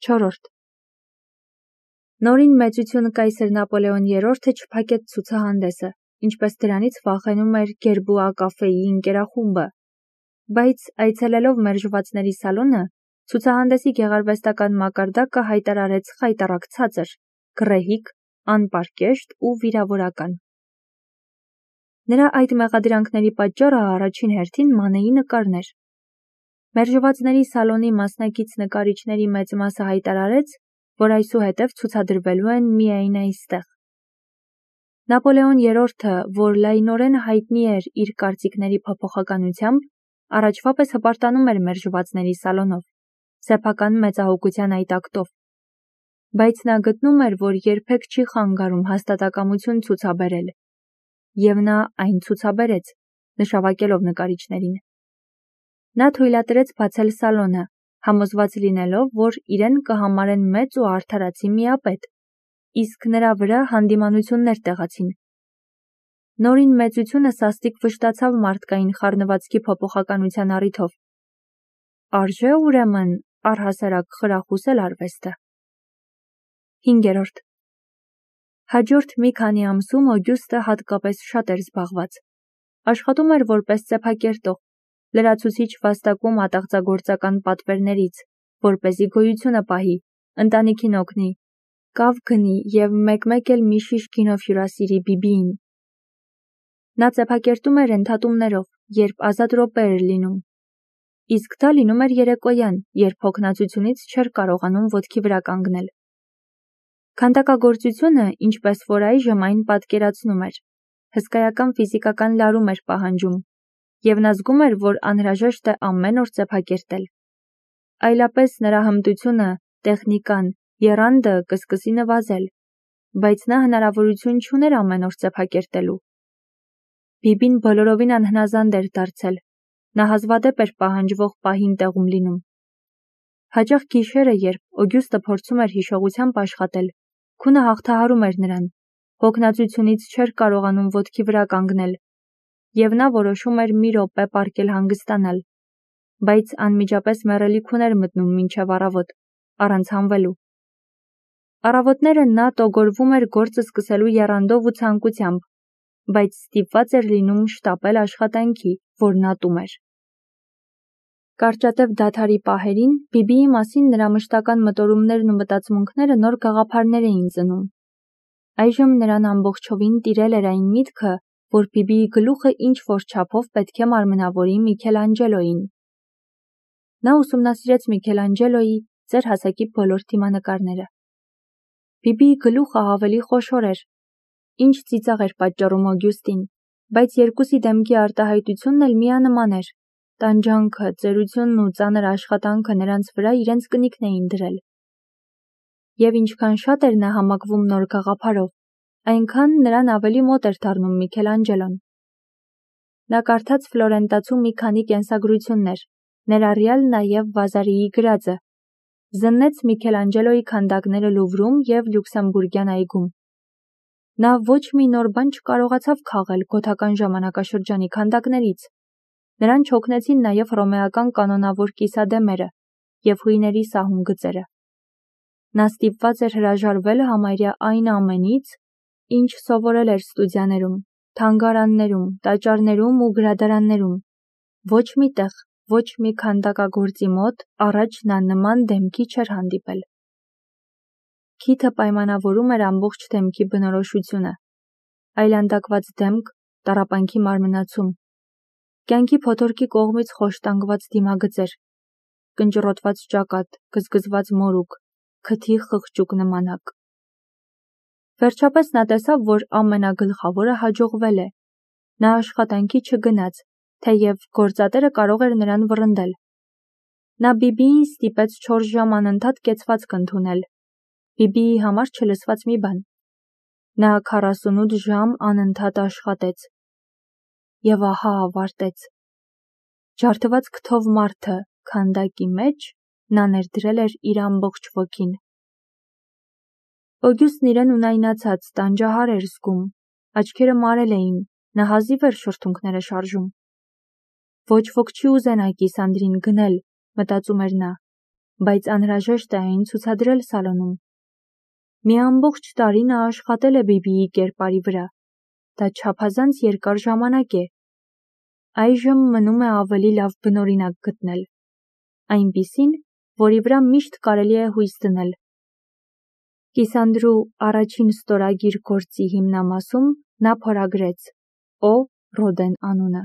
4. Նորին մեծություն կայսր Նապոլեոն III-ը չփակեց ցուցահանդեսը, ինչպես դրանից վախենում էր Գերբուա կաֆեի ընկերախումբը, բայց այցելելով մերժվածների սալոնը, ցուցահանդեսի գեղարվեստական մակարդակը հայտարարեց խայտառակ ցածր, գռեհիկ, անպարկեշտ ու վիրավորական։ Նրա այդ մեղադրանքների պատճառը առաջին հերթին Մանեի նկարն էր։ Մերժվածների սալոնի մասնակից նկարիչների մեծ մասը հայտարարեց, որ այսուհետև ցուցադրվելու են միայն այստեղ։ Նապոլեոն III-ը, որ լայնորեն հայտնի էր իր կարծիքների փոփոխականությամբ, առաջվա պես հպարտանում էր մերժվածների սալոնով, սեփական մեծահոգության այդ ակտով, բայց նա գտնում էր, որ երբեք չի խանգարում հաստատակամություն ցուցաբերել, և նա այն ցուցաբերեց, նշավակելով նկարիչներին։ Նա թույլատրեց բացել սալոնը, համոզված լինելով, որ իրեն կհամարեն մեծ ու արդարացի միապետ, իսկ նրա վրա հանդիմանություններ տեղացին։ Նորին մեծությունը սաստիկ վշտացավ մարդկային խառնվածքի փոփոխականության առիթով։ Արժե ուրեմն առհասարակ խրախուսել արվեստը։ 5. Հաջորդ մի քանի ամսում Օգյուստը հատկապես շատ էր զբաղված։ Աշխատում էր որպես սեփակերտող, լրացուցիչ վաստակում ատաղձագործական պատվերներից, որպեսզի գոյությունը պահի, ընտանիքին օգնի, կավ գնի և մեկ-մեկ էլ մի շիշ գինով հյուրասիրի Բիբիին։ Նա սեփակերտում էր ընդհատումներով, երբ ազատ րոպե էր լինում, իսկ դա լինում էր երեկոյան, երբ հոգնածությունից չէր կարողանում ոտքի վրա կանգնել։ Քանդակագործությունը, ինչպես որ այժմ այն պատկերացնում էր, հսկայական ֆիզիկական լարում էր պահանջում, և նա զգում էր, որ անհրաժեշտ է ամեն օր սեփակերտել։ Այլապես նրա հմտությունը, տեխնիկան, եռանդը կսկսի նվազել, բայց նա հնարավորություն չուներ ամեն օր սեփակերտելու։ Բիբին բոլորովին անհնազանդ էր դարձել, նա հազվադեպ էր պահանջվող պահին տեղում լինում։ Հաճախ գիշերը, երբ Օգյուստը փորձում էր հիշողությամբ աշխատել, քունը հաղթահարում էր նրան, հոգնածությունից չէր կարողանում ոտքի վրա կանգնել, և նա որոշում էր մի րոպե պառկել հանգստանալ, բայց անմիջապես մեռելիք ուներ մտնում մինչև առավոտ, առանց հանվելու։ Առավոտները նա տոգորվում էր գործը սկսելու եռանդով ու ցանկությամբ, բայց ստիպված էր լինում շտապել աշխատանքի, որն ատում էր։ Կարճատև դադարի պահերին Բիբիի մասին նրա մշտական մտորումներն ու մտածմունքները նոր գաղափարներ էին ծնում։ Այժմ նրան ամբողջովին տիրել էր այն միտքը, որ Բիբիի գլուխը ինչ-որ չափով պետք է մարմնավորի Միքելանջելոյին։ Նա ուսումնասիրեց Միքելանջելոյի ծեր հասակի բոլոր դիմանկարները։ Բիբիի գլուխը ավելի խոշոր էր, ինչ ծիծաղ էր պատճառում Օգյուստին, բայց երկուսի դեմքի արտահայտությունն էլ միանման էր։ Տանջանքը, ծերությունն ու ծանր աշխատանքը նրանց վրա իրենց կնիքն էին դրել։ Եվ ինչքան շատ էր նա համակվում նոր գաղափարով, այնքան նրան ավելի մոտ էր դառնում Միքելանջելոն։ Նա կարդաց Ֆլորենտացու մի քանի կենսագրություններ, ներառյալ նաև Վազարիի գրածը, զննեց Միքելանջելոյի քանդակները Լուվրում և Լյուքսեմբուրգյան այգում։ Նա ոչ մի նոր բան չկարողացավ քաղել գոթական ժամանակաշրջանի քանդակներից։ Նրան չօգնեցին նաև հռոմեական կանոնավոր կիսադեմերը և հույների սահուն գծերը։ Նա ստիպված էր հրաժարվել համարյա այն ամենից, ինչ սովորել էր ստուդիաներում, թանգարաններում, տաճարներում ու գրադարաններում։ Ոչ մի տեղ, ոչ մի քանդակագործի մոտ առաջ նա նման դեմքի չէր հանդիպել։ Քիթը պայմանավորում էր ամբողջ դեմքի բնորոշությունը, այլանդակված դեմք, տառապանքի մարմնացում, կյանքի փոթորկի կողմից խոշտանգված դիմագծեր, կնճռոտված ճակատ, գզգզված մորուք, քթի խղճուկ նմանակ։ Վերջապես նա տեսավ, որ ամենագլխավորը հաջողվել է։ Նա աշխատանքի չգնաց, թեև գործատերը կարող էր նրան վռնդել։ Նա Բիբիին ստիպեց 4 ժամ անընդհատ կեցվածք ընդունել, Բիբիի համար չլսված մի բան։ Նա 48 ժամ անընդհատ աշխատեց։ Եվ ահա ավարտեց։ Ջարդված քթով մարդը քանդակի մեջ նա ներդրել էր իր ամբողջ ոգին։ Օգյուստն իրեն ունայնացած, տանջահար էր զգում, աչքերը մարել էին, նա հազիվ էր շրթունքները շարժում։ Ոչ ոք չի ուզենա կիսանդրին գնել, մտածում էր նա, բայց անհրաժեշտ է այն ցուցադրել սալոնում։ Մի ամբողջ տարի նա աշխատել է Բիբիի կերպարի վրա։ Դա չափազանց երկար ժամանակ է։ Այժմ մնում է ավելի լավ բնօրինակ գտնել, այնպիսին, որի վրա միշտ կարելի է հույս դնել։ Կիսանդրու առաջին ստորագիր գործի հիմնամասում նա փորագրեց Օ. Ռոդեն անունը։